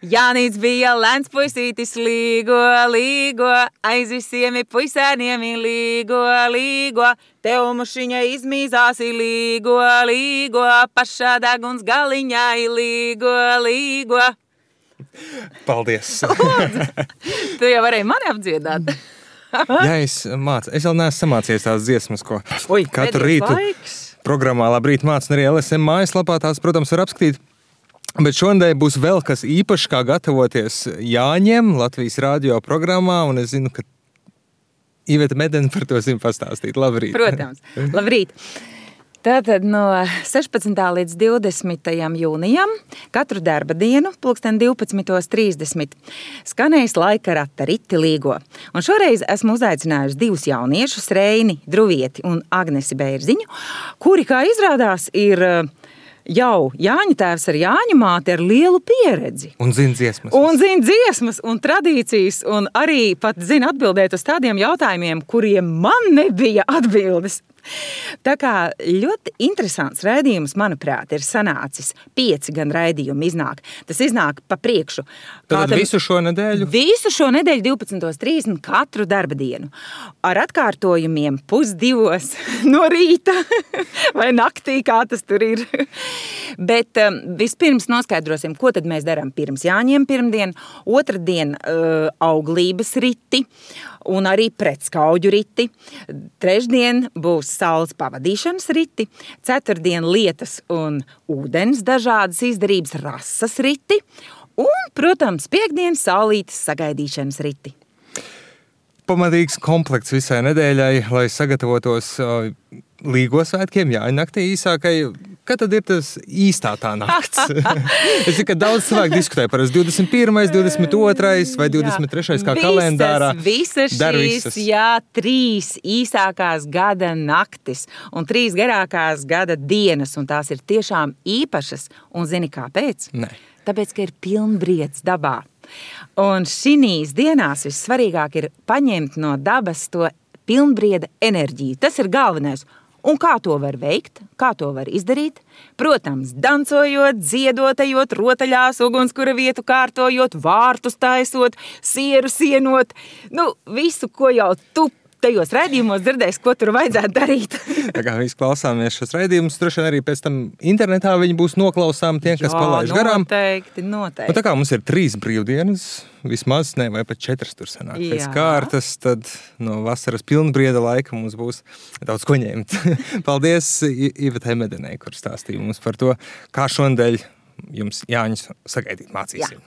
Jānīts bija lēns puisītis līgo, aiz visiem puisēniem līgo, tev mušiņa izmīzāsi līgo, pašā deguns galiņā līgo. Paldies! Tu jau varēji mani apdziedāt. Jā, es vēl neesmu samācījies tās dziesmas, ko katru rītu programmā Labrīt māc, un arī LSM mājaslapā tās, protams, var apskatīt. Bet šodien būs vēl kas īpašs, kā gatavoties Jāņiem Latvijas radio programmā, un es zinu, ka Iveta Medene par to zina pastāstīt. Labrīt! Protams, labrīt! Tātad no 16. līdz 20. jūnijam katru darba dienu, 12:30, skanēs laika rata Riti līgo. Un šoreiz esmu uzaicinājusi divus jauniešus, Reini Druvieti un Agnesi Bērziņu, kuri, kā izrādās, ir jau Jāņa tēvs ar Jāņa māti ar lielu pieredzi. Un zina dziesmas. Un tradīcijas, un arī pat zina atbildēt uz tādiem jautājumiem, kuriem man nebija atbildes. Tā kā ļoti interesants raidījums, manuprāt, ir sanācis. 5 gan raidījumi iznāk. Tas iznāk pa priekšu. Tad visu šo nedēļu? Visu šo nedēļu 12:30 katru darba dienu. Ar atkārtojumiem 1:30 no rīta vai naktī, kā tas tur ir. Bet vispirms noskaidrosim, ko tad mēs darām pirms Jāņiem pirmdien, otrdien auglības riti un arī pretskauģu riti. Trešdien būs saules pavadīšanas riti, ceturtdien lietas un ūdens dažādas izdarības rases riti un, protams, piekdien saulītes sagaidīšanas riti. Pamatīgs komplekts visai nedēļai, lai sagatavotos Līgo svētkiem, Jāņa naktī īsākai. Kad tad ir tas īstā tā nakts? Es zinu, ka daudz cilvēku diskutē par 21., 22. vai 23. kā kalendārā. Visas šīs, 3 īsākās gada naktis un 3 garākās gada dienas, un tās ir tiešām īpašas. Un zini kāpēc? Nē. Tāpēc, ka ir pilnbrieds dabā. Un šīs dienās vissvarīgāk ir paņemt no dabas to pilnbrieda enerģiju. Tas ir galvenais. Un kā to var veikt? Kā to var izdarīt? Protams, dancojot, dziedot, ejot rotaļās, ugunskura vietu kārtojot, vārtus taisot, sieru sienot. Visu, ko jau tu tajos raidījumos dzirdēs, ko tur vajadzētu darīt. Tā kā visi klausāmies šos raidījumus, droši vien arī pēc tam internetā viņi būs noklausām tiem, kas palaiž garām. Noteikti. Un tā kā mums ir 3 brīvdienas, vismaz, vai pat 4 tur sanāk pēc kārtas, tad no vasaras pilnbrieda laika mums būs daudz ko ņemt. Paldies Ivetai Medenei, kur stāstīja mums par to, kā šonadēļ jums Jāņus sagaidīt mācīsim.